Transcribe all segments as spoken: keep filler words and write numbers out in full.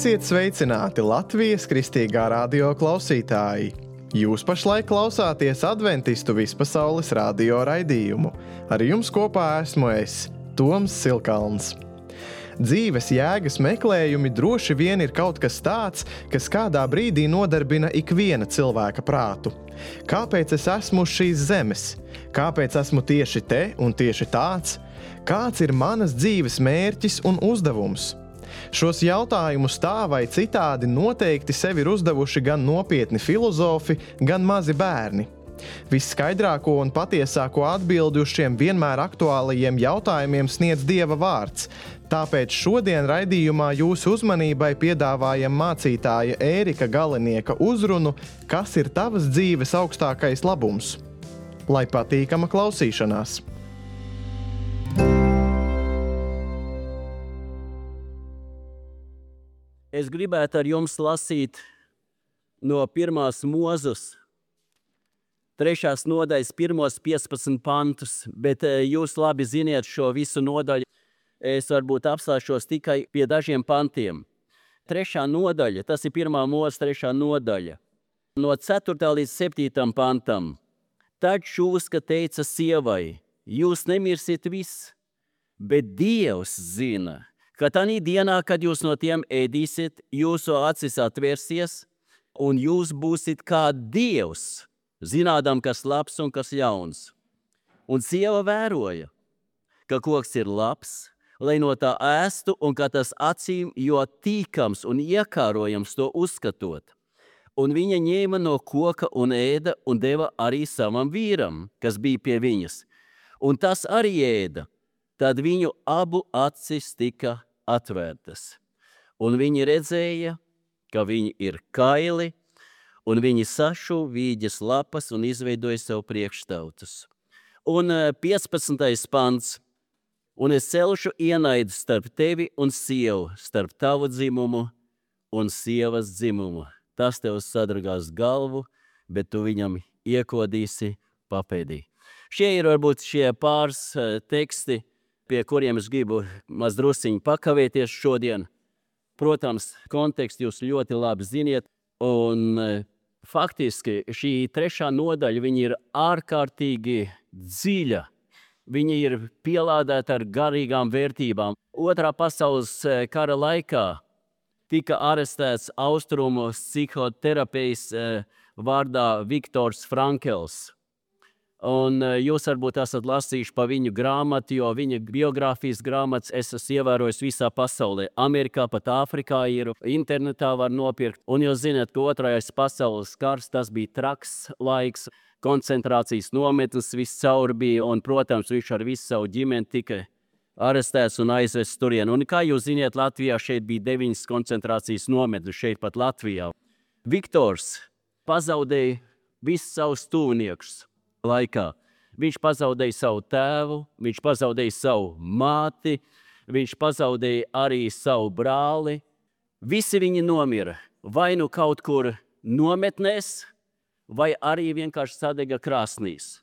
Esiet sveicināti Latvijas Kristīgā radio klausītāji! Jūs pašlaik klausāties Adventistu vispasaules radio raidījumu. Ar jums kopā esmu es, Toms Silkalns. Dzīves jēgas meklējumi droši vien ir kaut kas tāds, kas kādā brīdī nodarbina ikviena cilvēka prātu. Kāpēc es esmu uz šīs zemes? Kāpēc esmu tieši te un tieši tāds? Kāds ir manas dzīves mērķis un uzdevums? Šos jautājumus tā vai citādi noteikti sev ir uzdevuši gan nopietni filozofi, gan mazi bērni. Visskaidrāko un patiesāko atbildi uz šiem vienmēr aktuālajiem jautājumiem sniedz Dieva vārds. Tāpēc šodien raidījumā jūsu uzmanībai piedāvājam mācītāja Ērika Galinieka uzrunu Kas ir tavas dzīves augstākais labums? Lai patīkama klausīšanās! Es gribētu ar jums lasīt no pirmās Mūzes, trešās nodaļas pirmos piecpadsmit pantus, bet jūs labi ziniet šo visu nodaļu. Es varbūt apstāšos tikai pie dažiem pantiem. Trešā nodaļa, tas ir pirmā Mūzes trešā nodaļa, no ceturtā līdz septītam pantam. Tad šūska teica sievai, jūs nemirsiet viss, bet Dievs zina, ka tanī dienā, kad jūs no tiem ēdīsiet, jūsu acis atvērsies, un jūs būsiet kā Dievs, zinādam, kas labs un kas ļauns. Un sieva vēroja, ka koks ir labs, lai no tā ēstu, un ka tas acīm jo tīkams un iekārojams to uzskatot. Un viņa ņēma no koka un ēda, un deva arī savam vīram, kas bija pie viņas. Un tas arī ēda. Tad viņu abu acis tika atvērtas. Un viņi redzēja, ka viņi ir kaili, un viņi sašu vīģes lapas un izveidoja sev priekštautus. Un piecpadsmitais pants. Un es celšu ienaidu starp tevi un sievu, starp tavu dzimumu un sievas dzimumu. Tas tev sadragās galvu, bet tu viņam iekodīsi papēdī. Šie ir varbūt šie pāris teksti, pie kuriem es gribu mazdrusiņi pakavēties šodien. Protams, kontekstu jūs ļoti labi ziniet, un faktiski šī trešā nodaļa, viņa ir ārkārtīgi dziļa. Viņa ir pielādēta ar garīgām vērtībām. Otrā pasaules kara laikā tika arestēts austrumu psihoterapijas vārdā Viktors Frankls. Un jūs varbūt esat lasījuši pa viņu grāmatu, jo viņa biogrāfijas grāmatas es esmu ievērojis visā pasaulē. Amerikā, pat Āfrikā ir, internetā var nopirkt. Un jūs zināt, ka otrais pasaules kars, tas bija traks laiks, koncentrācijas nometnes viss caur bija, un, protams, viņš ar visu savu ģimeni tika arestēts un aizvests turien. Un kā jūs ziniet, Latvijā šeit bija deviņas koncentrācijas nometnes, šeit pat Latvijā. Viktors pazaudēja visus savus tuviniekus laikā. Viņš pazaudēja savu tēvu, viņš pazaudēja savu māti, viņš pazaudēja arī savu brāli. Visi viņi nomira, vai nu kaut kur nometnēs, vai arī vienkārši sadega krāsnīs.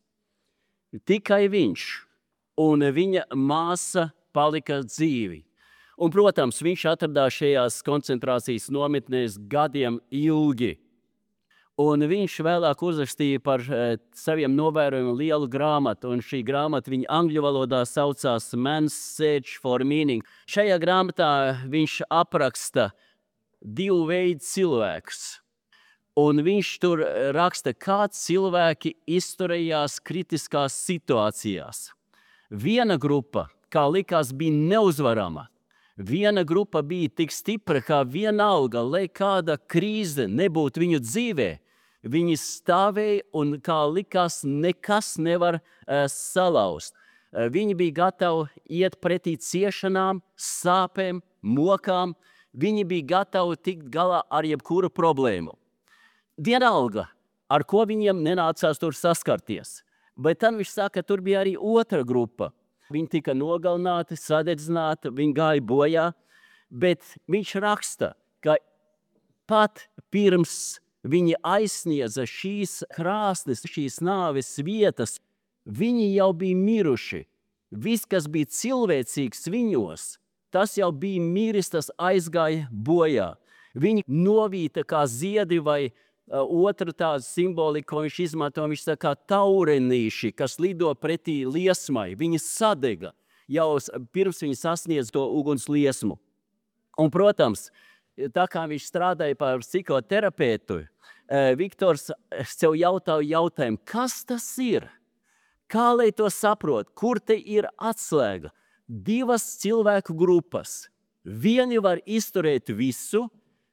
Tikai viņš un viņa māsa palika dzīvi. Un, protams, viņš atradās šajās koncentrācijas nometnēs gadiem ilgi. Un viņš vēlāk uzrakstīja par e, saviem novērojumiem lielu grāmatu, un šī grāmata viņa angļu valodā saucās Man's Search for Meaning. Šajā grāmatā viņš apraksta divu veidu cilvēkus, un viņš tur raksta, kā cilvēki izturējās kritiskās situācijās. Viena grupa, kā likās, bija neuzvarama. Viena grupa bija tik stipra, kā vienalga, lai kāda krīze nebūtu viņu dzīvē. Viņi stāvēja un, kā likās, nekas nevar uh, salauzt. Uh, viņi bija gatavi iet pretī ciešanām, sāpēm, mokām. Viņi bija gatavi tikt galā ar jebkuru problēmu. Vienalga, ar ko viņiem nenācās tur saskarties. Bet tad viņš saka, ka tur bija arī otra grupa. Viņi tika nogalināti, sadedzināti, viņi gāja bojā, bet viņš raksta, ka pat pirms viņi aizsniedza šīs krāsnes, šīs nāves vietas, viņi jau bija miruši. Viss, kas bija cilvēcīgs viņos, tas jau bija miris, tas aizgāja bojā. Viņi novīta kā ziedi vai uh, otru tādu simboliku, ko viņš izmanto, viņš tā kā taurenīši, kas lido pretī liesmai. Viņi sadega jau pirms viņi sasniedz to uguns liesmu. Un, protams, tā kā viņš strādāja par psihoterapeitu, Viktors sev jautāja jautājumu, kas tas ir? Kā lai to saprot? Kur te ir atslēga? Divas cilvēku grupas. Vieni var izturēt visu,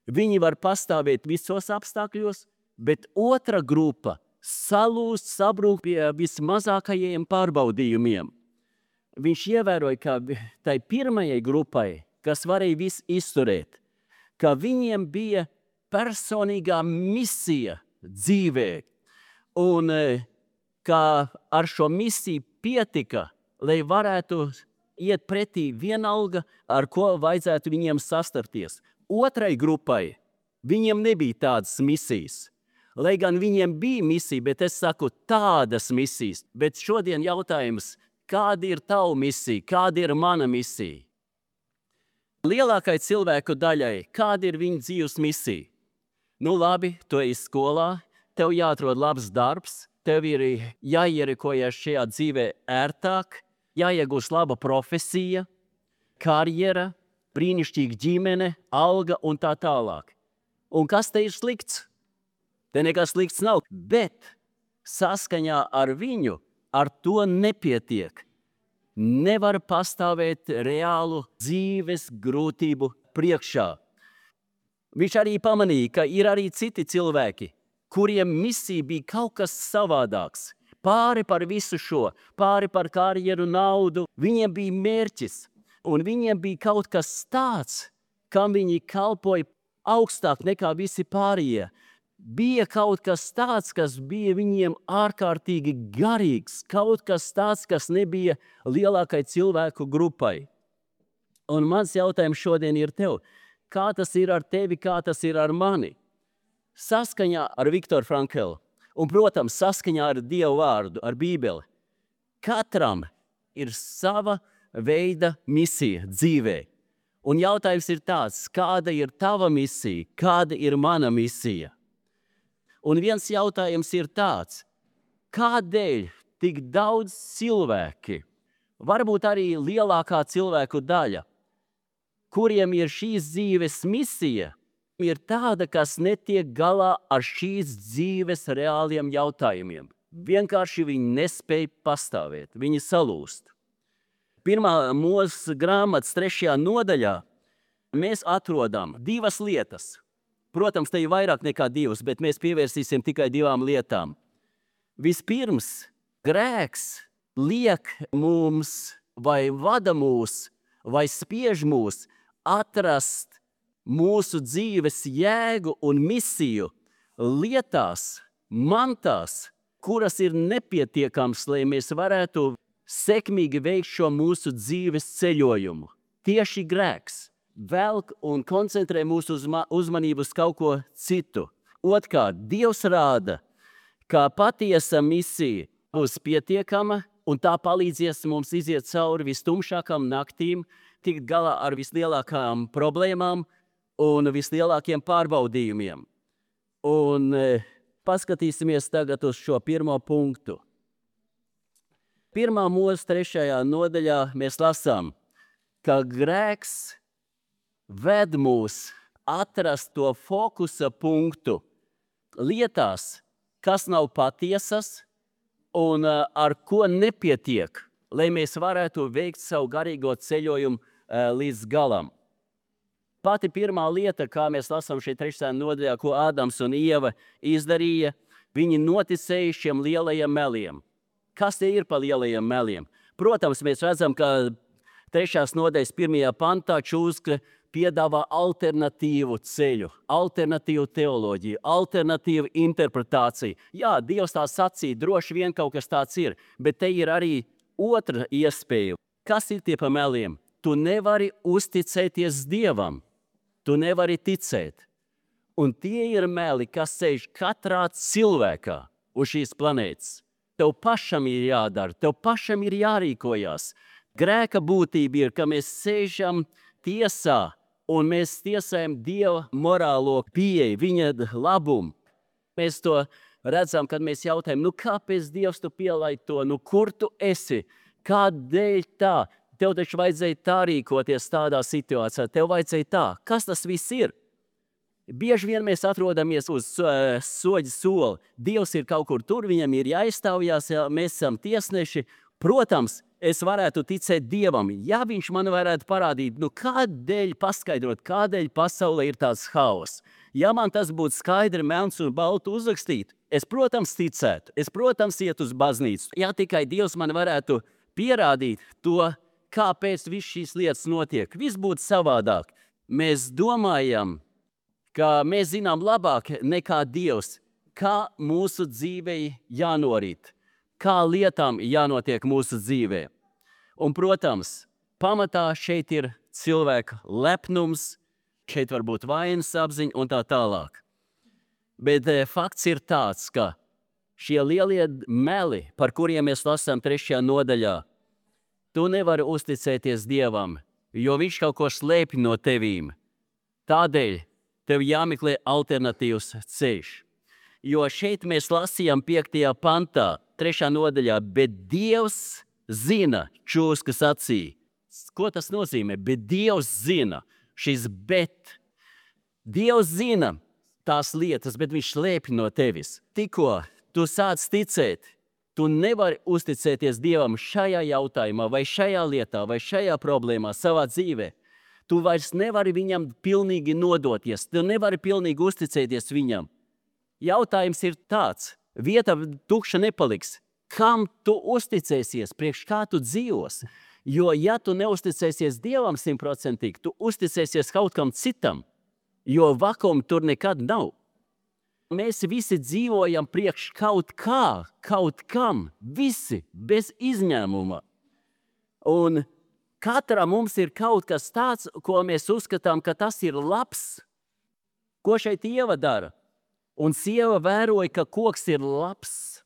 viņi var pastāvēt visos apstākļos, bet otra grupa salūst, sabrūk pie vismazākajiem pārbaudījumiem. Viņš ievēroja, ka tai pirmajai grupai, kas varēja visu izturēt, ka viņiem bija personīgā misija dzīvē, un ka ar šo misiju pietika, lai varētu iet pretī vienalga, ar ko vajadzētu viņiem sastarties. Otrai grupai viņiem nebija tādas misijas. Lai gan viņiem bija misija, bet es saku tādas misijas. Bet šodien jautājums, kāda ir tava misija, kāda ir mana misija? Lielākai cilvēku daļai, kāda ir viņa dzīves misija? Nu labi, tu ej skolā, tev jāatrod labs darbs, tev ir jāierikojas šajā dzīvē ērtāk, jāiegūst laba profesija, karjera, brīnišķīga ģimene, alga un tā tālāk. Un kas te ir slikts? Te nekas slikts nav, bet saskaņā ar viņu ar to nepietiek. Nevar pastāvēt reālu dzīves grūtību priekšā. Viņš arī pamanīja, ka ir arī citi cilvēki, kuriem misija bija kaut kas savādāks. Pāri par visu šo, pāri par karjeru, naudu, viņiem bija mērķis. Un viņiem bija kaut kas tāds, kam viņi kalpoja augstāk nekā visi pārējie. Bija kaut kas tāds, kas bija viņiem ārkārtīgi garīgs, kaut kas tāds, kas nebija lielākai cilvēku grupai. Un mans jautājums šodien ir tev, kā tas ir ar tevi, kā tas ir ar mani? Saskaņā ar Viktoru Franklu un, protams, saskaņā ar Dievu vārdu, ar Bībeli, katram ir sava veida misija dzīvē. Un jautājums ir tāds, kāda ir tava misija, kāda ir mana misija? Un viens jautājums ir tāds, kādēļ tik daudz cilvēki, varbūt arī lielākā cilvēku daļa, kuriem ir šīs dzīves misija, ir tāda, kas netiek galā ar šīs dzīves reāliem jautājumiem. Vienkārši viņi nespēj pastāvēt, viņi salūst. Pirmā Mūzes grāmatas trešajā nodaļā mēs atrodam divas lietas. Protams, te ir vairāk nekā divas, bet mēs pievērsīsim tikai divām lietām. Vispirms, grēks liek mums vai vada mūs vai spiež mūs atrast mūsu dzīves jēgu un misiju lietās, mantās, kuras ir nepietiekams, lai mēs varētu sekmīgi veikt šo mūsu dzīves ceļojumu. Tieši grēks velk un koncentrē mūsu uzma, uzmanību uz kaut ko citu. Otkārt, Dievs rāda, ka patiesa misija būs pietiekama un tā palīdzies mums iziet cauri vistumšākām naktīm, tikt galā ar vislielākām problēmām un vislielākiem pārbaudījumiem. Un e, paskatīsimies tagad uz šo pirmo punktu. Pirmā Mūzes trešajā nodaļā mēs lasām, ka grēks ved mūs atrast to fokusa punktu lietās, kas nav patiesas un uh, ar ko nepietiek, lai mēs varētu veikt savu garīgo ceļojumu uh, līdz galam. Pati pirmā lieta, kā mēs lasām šeit trešajā nodaļā, ko Ādams un Ieva izdarīja, viņi noticēja šiem lielajiem meliem. Kas tie ir pa lielajiem meliem? Protams, mēs redzam, ka trešās nodaļas pirmajā pantā Čūska piedāvā alternatīvu ceļu, alternatīvu teoloģiju, alternatīvu interpretāciju. Jā, Dievs tā sacīja, droši vien kaut kas tāds ir, bet te ir arī otra iespēja. Kas ir tie pa meliem? Tu nevari uzticēties Dievam, tu nevari ticēt. Un tie ir meli, kas sēž katrā cilvēkā uz šīs planētas. Tev pašam ir jādara, tev pašam ir jārīkojās. Grēka būtība ir, ka mēs sēžam tiesā un mēs tiesājam Dieva morālo pieeju, viņa labumu. Mēs to redzam, kad mēs jautājam, nu kāpēc Dievs tu pielaid to, nu kur tu esi, kādēļ tā? Tev taču vajadzēja tā rīkoties tādā situācijā, tev vajadzēja tā. Kas tas viss ir? Bieži vien mēs atrodamies uz uh, soļa soli. Dievs ir kaut kur tur, viņam ir jāizstāvjās, ja mēs esam tiesneši. Protams, es varētu ticēt Dievam, ja viņš man varētu parādīt, nu kādēļ paskaidrot, kādēļ pasaulē ir tāds haoss. Ja man tas būtu skaidri, melns un baltu uzrakstīt, es, protams, ticētu, es, protams, iet uz baznīcu. Ja tikai Dievs man varētu pierādīt to, kāpēc viss šīs lietas notiek, viss būtu savādāk. Mēs domājam, ka mēs zinām labāk nekā Dievs, kā mūsu dzīvei jānorīt, kā lietām jānotiek mūsu dzīvē. Un, protams, pamatā šeit ir cilvēka lepnums, šeit var būt vainas apziņa un tā tālāk. Bet e, fakts ir tāds, ka šie lielie meli, par kuriem mēs lasām trešajā nodaļā, tu nevari uzticēties Dievam, jo viņš kaut ko slēpj no tevīm. Tādēļ tev jāmeklē alternatīvs ceļš. Jo šeit mēs lasījām piektajā pantā, trešā nodaļā, bet Dievs zina čūskas acī. Ko tas nozīmē? Bet Dievs zina, šis bet. Dievs zina tās lietas, bet viņš slēpj no tevis. Tikko tu sāc ticēt, tu nevari uzticēties Dievam šajā jautājumā, vai šajā lietā, vai šajā problēmā savā dzīvē. Tu vairs nevari viņam pilnīgi nodoties, tu nevari pilnīgi uzticēties viņam. Jautājums ir tāds, vieta tukša nepaliks. Kam tu uzticēsies, priekš kā tu dzīvos? Jo ja tu neuzticēsies Dievam simtprocentīgi, tu uzticēsies kaut kam citam, jo vakumu tur nekad nav. Mēs visi dzīvojam priekš kaut kā, kaut kam, visi, bez izņēmuma. Un katram mums ir kaut kas tāds, ko mēs uzskatām, ka tas ir labs. Ko šeit Ieva dara? Un sieva vēroja, ka koks ir labs.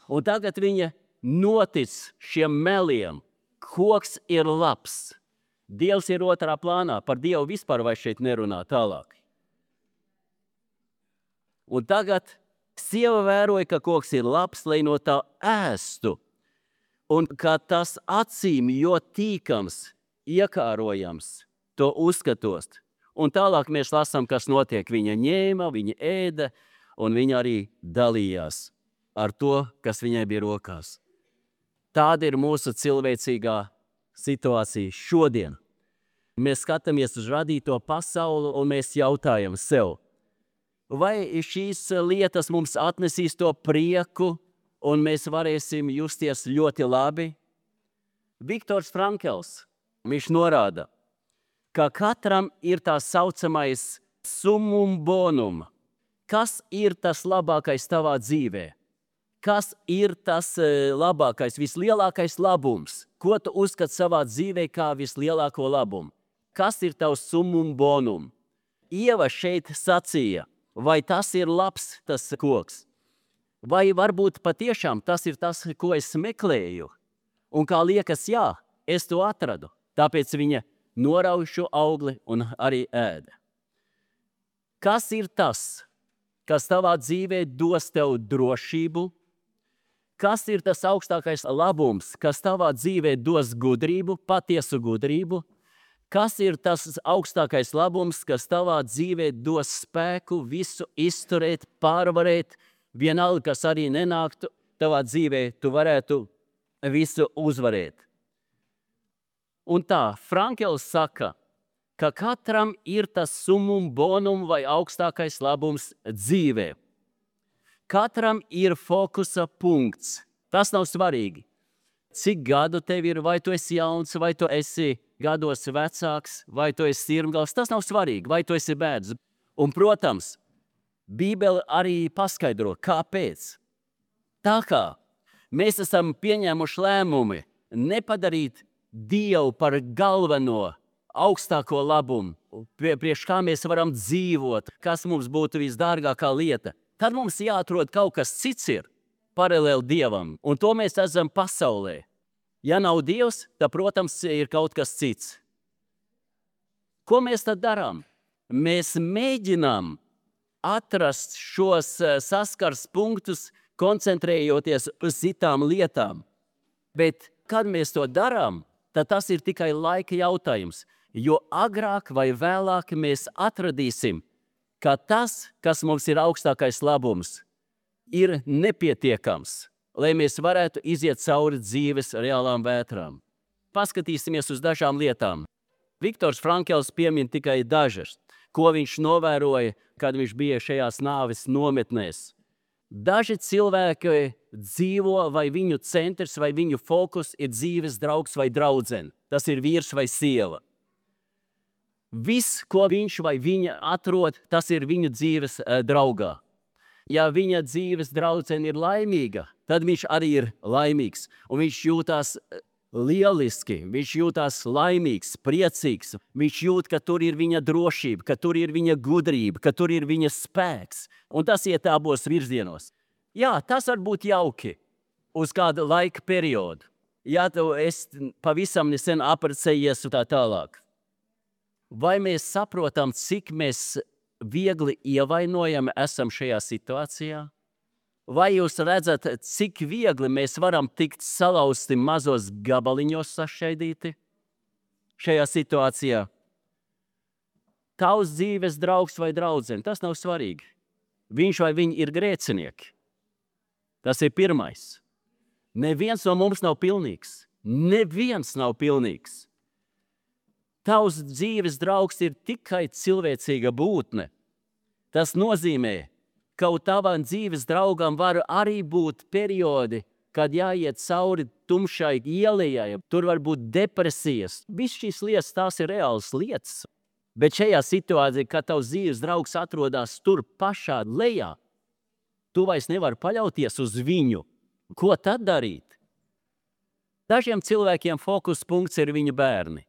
Un tagad viņa notic šiem meliem. Koks ir labs. Dievs ir otrā plānā. Par Dievu vispār vai šeit nerunā tālāk. Un tagad sieva vēroja, ka koks ir labs, lai no tā ēstu. Un ka tas acīm jo tīkams, iekārojams, to uzskatot. Un tālāk mēs lasām, kas notiek. Viņa ņēma, viņa ēda, un viņa arī dalījās ar to, kas viņai bija rokās. Tāda ir mūsu cilvēcīgā situācija šodien. Mēs skatāmies uz radīto pasauli, un mēs jautājam sev, vai šīs lietas mums atnesīs to prieku, un mēs varēsim justies ļoti labi? Viktors Frankls, viņš norāda, ka katram ir tā saucamais summum bonum. Kas ir tas labākais tavā dzīvē? Kas ir tas labākais, vislielākais labums? Ko tu uzskati savā dzīvē kā vislielāko labumu? Kas ir tavs summum bonum? Ieva šeit sacīja, vai tas ir labs, tas koks? Vai varbūt patiešām tas ir tas, ko es meklēju? Un kā liekas, jā, es to atradu. Tāpēc viņa norauj šo augli un arī ēda. Kas ir tas, kas tavā dzīvē dos tev drošību? Kas ir tas augstākais labums, kas tavā dzīvē dos gudrību, patiesu gudrību? Kas ir tas augstākais labums, kas tavā dzīvē dos spēku visu izturēt, pārvarēt, vienalga, kas arī nenāktu tavā dzīvē, tu varētu visu uzvarēt. Un tā, Frankls saka, ka katram ir tas summum bonum vai augstākais labums dzīvē. Katram ir fokusa punkts. Tas nav svarīgi. Cik gadu tev ir, vai tu esi jauns, vai tu esi gados vecāks, vai tu esi sirmgals, tas nav svarīgi, vai tu esi bērns. Un, protams, Bībele arī paskaidro, kāpēc. Tā kā mēs esam pieņēmuši lēmumi nepadarīt Dievu par galveno, augstāko labumu, priekš kā mēs varam dzīvot, kas mums būtu visdārgākā lieta, tad mums jāatrod kaut kas cits ir paralēli Dievam, un to mēs esam pasaulē. Ja nav Dievs, tad, protams, ir kaut kas cits. Ko mēs tad darām? Mēs mēģinām atrast šos saskars punktus, koncentrējoties uz citām lietām. Bet, kad mēs to darām, tad tas ir tikai laika jautājums, jo agrāk vai vēlāk mēs atradīsim, ka tas, kas mums ir augstākais labums, ir nepietiekams, lai mēs varētu iziet cauri dzīves reālām vētrām. Paskatīsimies uz dažām lietām. Viktors Frankls piemin tikai dažas, ko viņš novēroja, kad viņš bija šajās nāves nometnēs. Daži cilvēki dzīvo, vai viņu centrs, vai viņu fokus ir dzīves draugs vai draudzene. Tas ir vīrs vai sieva. Viss, ko viņš vai viņa atrod, tas ir viņu dzīves uh, draugā. Ja viņa dzīves draudzene ir laimīga, tad viņš arī ir laimīgs. Un viņš jūtās lieliski, viņš jūtās laimīgs, priecīgs. Viņš jūt, ka tur ir viņa drošība, ka tur ir viņa gudrība, ka tur ir viņa spēks. Un tas iet abos virzienos. Jā, tas var būt jauki uz kādu laika periodu. Ja tu esi pavisam nesen apprecējies un tā tālāk. Vai mēs saprotam, cik mēs viegli ievainojami esam šajā situācijā? Vai jūs redzat, cik viegli mēs varam tikt salauzti mazos gabaliņos sašķaidīti šajā situācijā? Tavs dzīves draugs vai draudzene, tas nav svarīgi. Viņš vai viņi ir grēcinieki. Tas ir pirmais. Neviens no mums nav pilnīgs. Neviens nav pilnīgs. Tavs dzīves draugs ir tikai cilvēcīga būtne. Tas nozīmē, ka tavam dzīves draugam var arī būt periodi, kad jāiet cauri tumšai ielai, tur var būt depresijas. Viss šīs lietas, tās ir reālas lietas. Bet šajā situācijā, kad tavs dzīves draugs atrodas tur pašā lejā, tu vairs nevari paļauties uz viņu. Ko tad darīt? Dažiem cilvēkiem fokus punkts ir viņu bērni.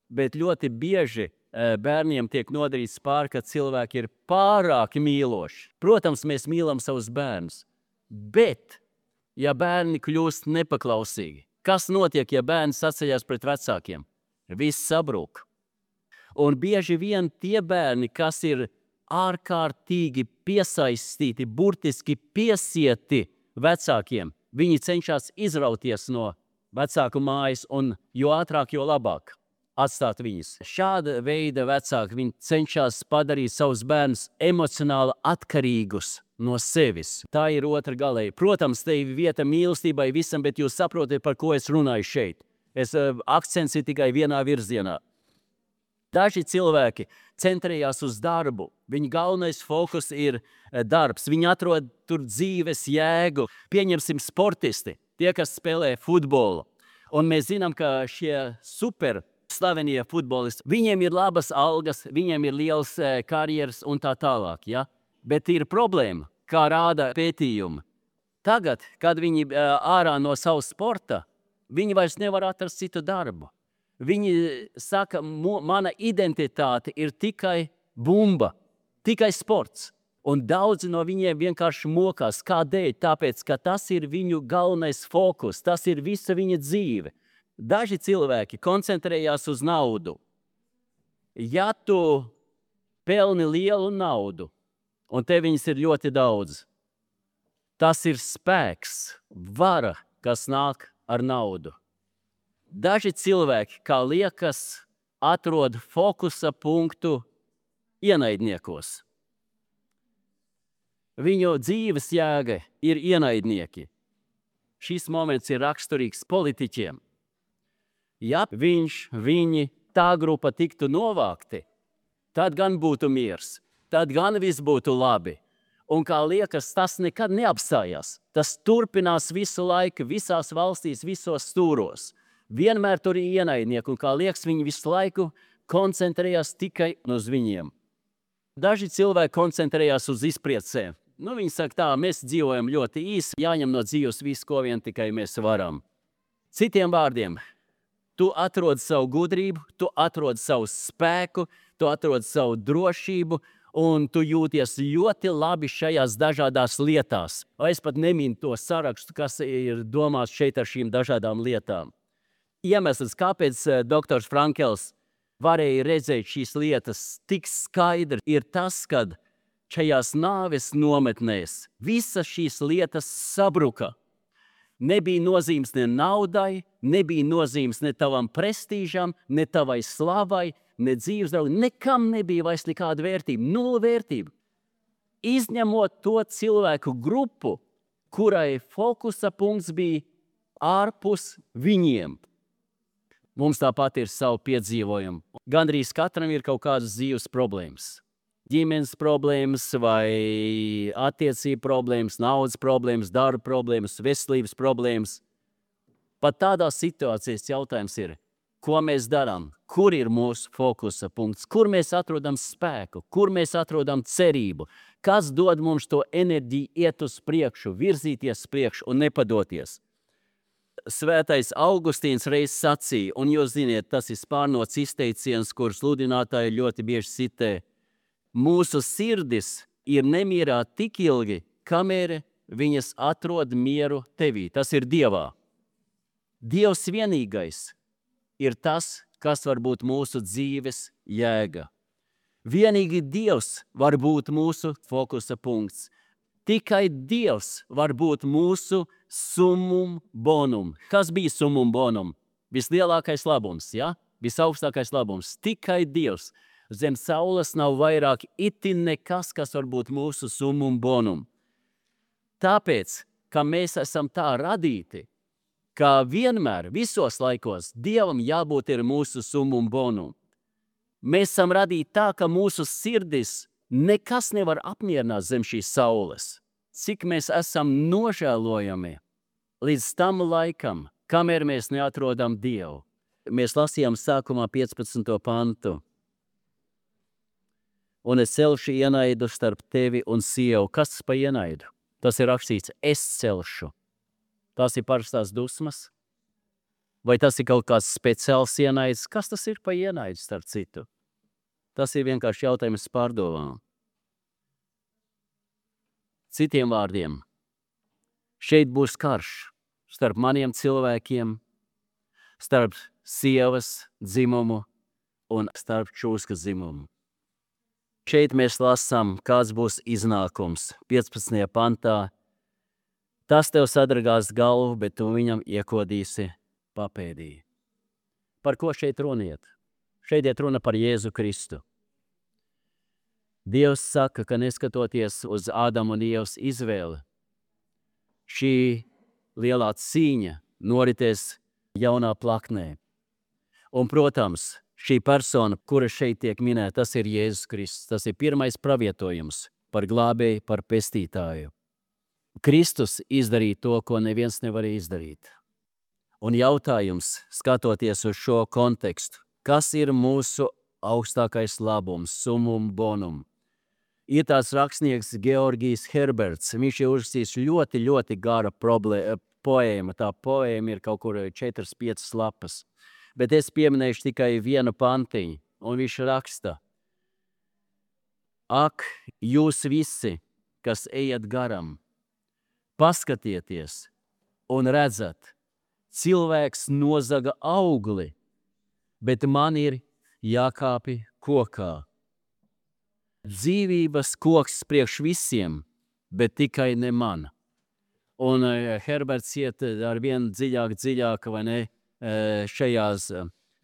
Bet ļoti bieži bērniem tiek nodarīts pār, ka cilvēki ir pārāk mīloši. Protams, mēs mīlam savus bērnus, bet, ja bērni kļūst nepaklausīgi, kas notiek, ja bērni saceļas pret vecākiem? Viss sabrūk. Un bieži vien tie bērni, kas ir ārkārtīgi piesaistīti, burtiski piesieti vecākiem, viņi cenšas izrauties no vecāku mājas, un jo ātrāk, jo labāk atstāt viņus. Šāda veida vecāki, viņi cenšas padarīt savus bērnus emocionāli atkarīgus no sevis. Tā ir otra galēja. Protams, te ir vieta mīlestībai visam, bet jūs saprotat, par ko es runāju šeit. Es, uh, akcents ir tikai vienā virzienā. Daži cilvēki centrējās uz darbu. Viņa galvenais fokus ir darbs. Viņi atrod tur dzīves jēgu. Pieņemsim sportisti, tie, kas spēlē futbolu. Un mēs zinām, ka šie super slavenie futbolisti, viņiem ir labas algas, viņiem ir liels karjeras un tā tālāk. Ja? Bet ir problēma, kā rāda pētījumi. Tagad, kad viņi ārā no savas sporta, viņi vairs nevar atrast citu darbu. Viņi saka, mana identitāte ir tikai bumba, tikai sports. Un daudzi no viņiem vienkārši mokās. Kādēļ? Tāpēc, ka tas ir viņu galvenais fokus, tas ir visa viņa dzīve. Daži cilvēki koncentrējās uz naudu. Ja tu pelni lielu naudu, un te viņas ir ļoti daudz, tas ir spēks, vara, kas nāk ar naudu. Daži cilvēki, kā liekas, atrod fokusa punktu ienaidniekos. Viņu dzīves jēga ir ienaidnieki. Šis moments ir raksturīgs politiķiem. Ja viņš, viņi, tā grupa tiktu novākti, tad gan būtu miers, tad gan viss būtu labi. Un kā liekas, tas nekad neapstājās. Tas turpinās visu laiku, visās valstīs, visos stūros. Vienmēr tur ir ienaidnieki, un kā liekas, viņi visu laiku koncentrējās tikai uz viņiem. Daži cilvēki koncentrējās uz izpriecēm. Nu, viņi saka tā, mēs dzīvojam ļoti īsi, jāņem no dzīves visu, ko vien tikai mēs varam. Citiem vārdiem, tu atrod savu gudrību, tu atrod savu spēku, tu atrod savu drošību, un tu jūties ļoti labi šajās dažādās lietās. Es pat neminu to sarakstu, kas ir domāts šeit ar šīm dažādām lietām. Iemesls, kāpēc doktors Frankls varēja redzēt šīs lietas tik skaidri, ir tas, kad šajās nāves nometnēs visas šīs lietas sabruka. Nebija nozīmes ne naudai, nebija nozīmes ne tavam prestīžam, ne tavai slavai, ne dzīves draudai. Nekam nebija vairs nekāda vērtība, nula vērtība. Izņemot to cilvēku grupu, kurai fokusa punkts bija ārpus viņiem. Mums tāpat ir savu piedzīvojumu. Gandrīz katram ir kaut kādas dzīves problēmas. Ģimenes problēmas vai attiecību problēmas, naudas problēmas, darba problēmas, veselības problēmas. Pat tādā situācijas jautājums ir, ko mēs darām, kur ir mūsu fokusa punkts, kur mēs atrodam spēku, kur mēs atrodam cerību, kas dod mums to enerģiju iet uz priekšu, virzīties priekšu un nepadoties. Svētais Augustīns reiz sacīja, un jūs ziniet, tas ir spārnots izteiciens, kur sludinātāji ļoti bieži citē. Mūsu sirdis ir nemierā tik ilgi, kamēr viņas atrod mieru tevī. Tas ir Dievā. Dievs vienīgais ir tas, kas var būt mūsu dzīves jēga. Vienīgi Dievs var būt mūsu fokusa punkts. Tikai Dievs var būt mūsu summum bonum. Kas bija summum bonum? Vislielākais labums, ja? Visaugstākais labums. Tikai Dievs. Zem saules nav vairāk itin nekas, kas var būt mūsu summum bonum. Tāpēc, ka mēs esam tā radīti, ka vienmēr, visos laikos, Dievam jābūt ir mūsu summum bonum. Mēs esam radīti tā, ka mūsu sirdis nekas nevar apmierināt zem šīs saules. Cik mēs esam nožēlojami līdz tam laikam, kamēr mēs neatrodam Dievu. Mēs lasījām sākumā piecpadsmito pantu. Un es celšu ienaidu starp tevi un sievu. Kas tas pa ienaidu? Tas ir rakstīts, es celšu. Tas ir parastās dusmas? Vai tas ir kaut kāds speciāls ienaids? Kas tas ir pa ienaidu starp citu? Tas ir vienkārši jautājums pārdomām. Citiem vārdiem, šeit būs karš starp maniem cilvēkiem, starp sievas dzimumu un starp čūskas dzimumu. Šeit mēs lasām, kāds būs iznākums. piecpadsmitajā pantā. Tas tev sadragās galvu, bet tu viņam iekodīsi papēdī. Par ko šeit runiet? Šeit iet runa par Jēzu Kristu. Dievs saka, ka neskatoties uz Ādama un Ievas izvēli, šī lielā cīņa noritēs jaunā plaknē. Un, protams, šī persona, kura šeit tiek minēta, tas ir Jēzus Kristus. Tas ir pirmais pravietojums par glābēju, par pestītāju. Kristus izdarīja to, ko neviens nevarēja izdarīt. Un jautājums, skatoties uz šo kontekstu, kas ir mūsu augstākais labums, summum bonum? Ir tāds rakstnieks Georgijs Herberts. Viņš ir uzrakstījis ļoti, ļoti gara poēma. Tā poēma ir kaut kur četras, piecas lapas. Bet es pieminēšu tikai vienu pantiņu, un viņš raksta. Ak, jūs visi, kas ejat garam, paskatieties un redzat, cilvēks nozaga augli, bet man ir jākāpi kokā. Dzīvības koks priekš visiem, bet tikai ne man. Un Herberts iet ar vien dziļāk, dziļāk, vai ne, šajās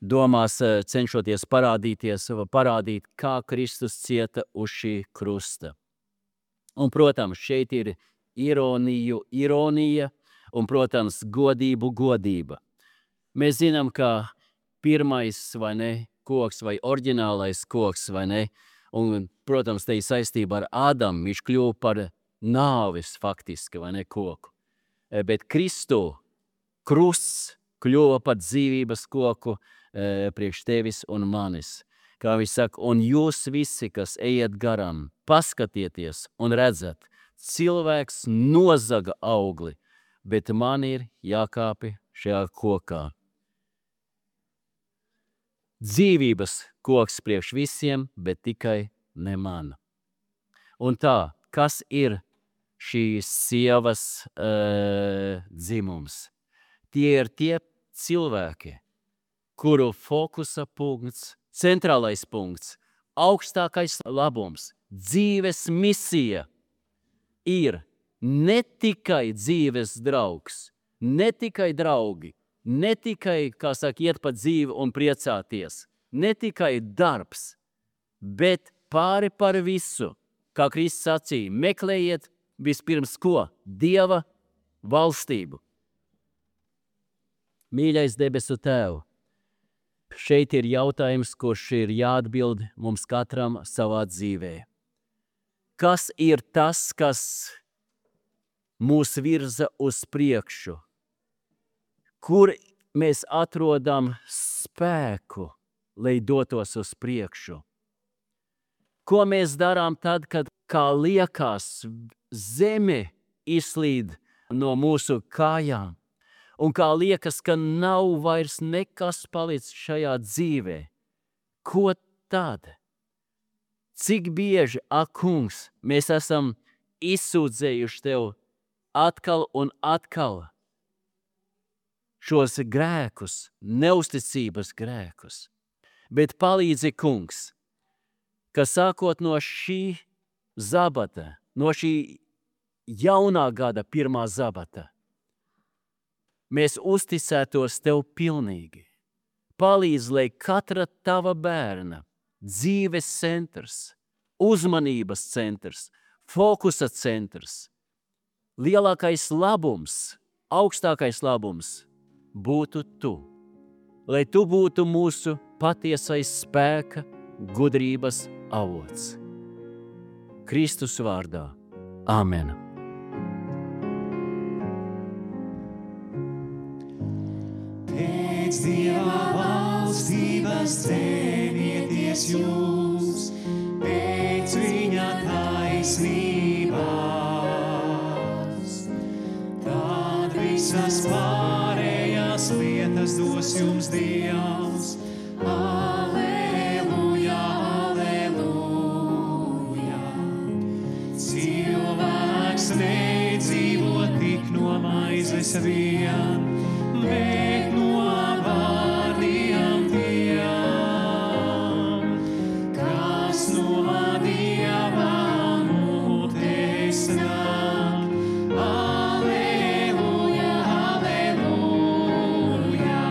domās cenšoties parādīties, parādīt, kā Kristus cieta uz šī krusta. Un, protams, šeit ir ironiju, ironija un, protams, godību, godība. Mēs zinām, ka pirmais, vai ne, koks vai oriģinālais koks, vai ne, un, protams, te ir saistība ar Ādamu, viņš kļuva par nāvis faktiski, vai ne, koku. Bet Kristu krusts kļuva par dzīvības koku e, priekš tevis un manis. Kā viņš saka, un jūs visi, kas ejat garam, paskatieties un redzat, cilvēks nozaga augli, bet man ir jākāpi šajā kokā. Dzīvības koks priekš visiem, bet tikai ne man. Un tā, kas ir šīs sievas e, dzimums? Tie ir tie cilvēki, kuru fokusa punkts centrālais punkts, augstākais labums, dzīves misija ir ne tikai dzīves draugs, ne tikai draugi, ne tikai, kā saka, iet pa dzīvi un priecāties, ne tikai darbs, bet pāri par visu, kā Kristus sacīja, meklējiet vispirms ko? Dieva valstību. Mīļais debesu Tēvu, šeit ir jautājums, kurš ir jāatbild mums katram savā dzīvē. Kas ir tas, kas mūs virza uz priekšu? Kur mēs atrodam spēku, lai dotos uz priekšu? Ko mēs darām tad, kad, kā liekas, zeme izslīd no mūsu kājām? Un kā liekas, ka nav vairs nekas palicis šajā dzīvē? Ko tad? Cik bieži, ak, kungs, mēs esam izsūdzējuši Tev atkal un atkal šos grēkus, neusticības grēkus. Bet palīdzi, kungs, ka sākot no šī zabata, no šī jaunā gada pirmā zabata, mēs uzticētos Tev pilnīgi. Palīdz, lai katra Tava bērna dzīves centrs, uzmanības centrs, fokusa centrs, lielākais labums, augstākais labums būtu Tu. Lai Tu būtu mūsu patiesais spēka, gudrības avots. Kristus vārdā. Āmen. Pēc Dieva valstības cenieties jūs, pēc viņa taisnībās. Tad visas pārējās lietas dos jums Dievs. Aleluja, aleluja. Cilvēks nedzīvo tik no maizes vien, bet no vārdiem tiem, kas no Dieva mutes nāk. Aleluja, aleluja.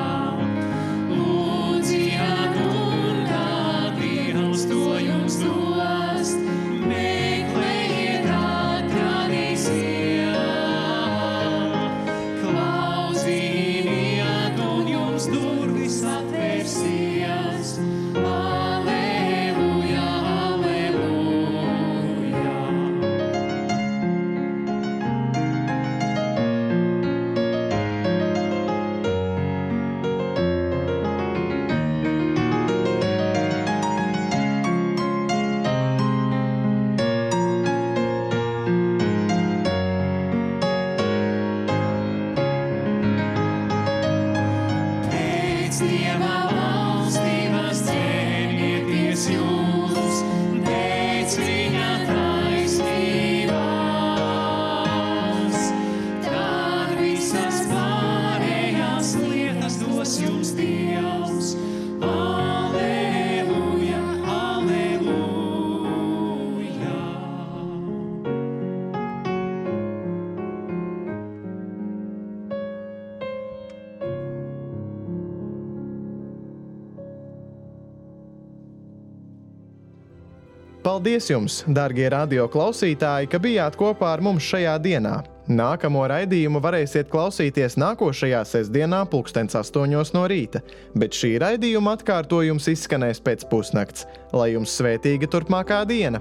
Lūdziet un tad Dievs to jums dos, meklējiet, atradīsiet. Klausiet un jums durvis atvērsies. Aleluja, aleluja. Pēc Dieva valstības cenieties jūs, pēc viņa taisnībās. Tad visas pārējās lietas dos jums Dievs. Aleluja, aleluja. Paldies jums, darbie radio klausītāji, ka bijāt kopā ar mums šajā dienā. Nākamo raidījumu varēsiet klausīties nākošajā sestdienā pulkstens astoņos no rīta, bet šī raidījuma atkārtojums izskanēs pēc pusnakts. Lai jums svētīga turpmākā diena!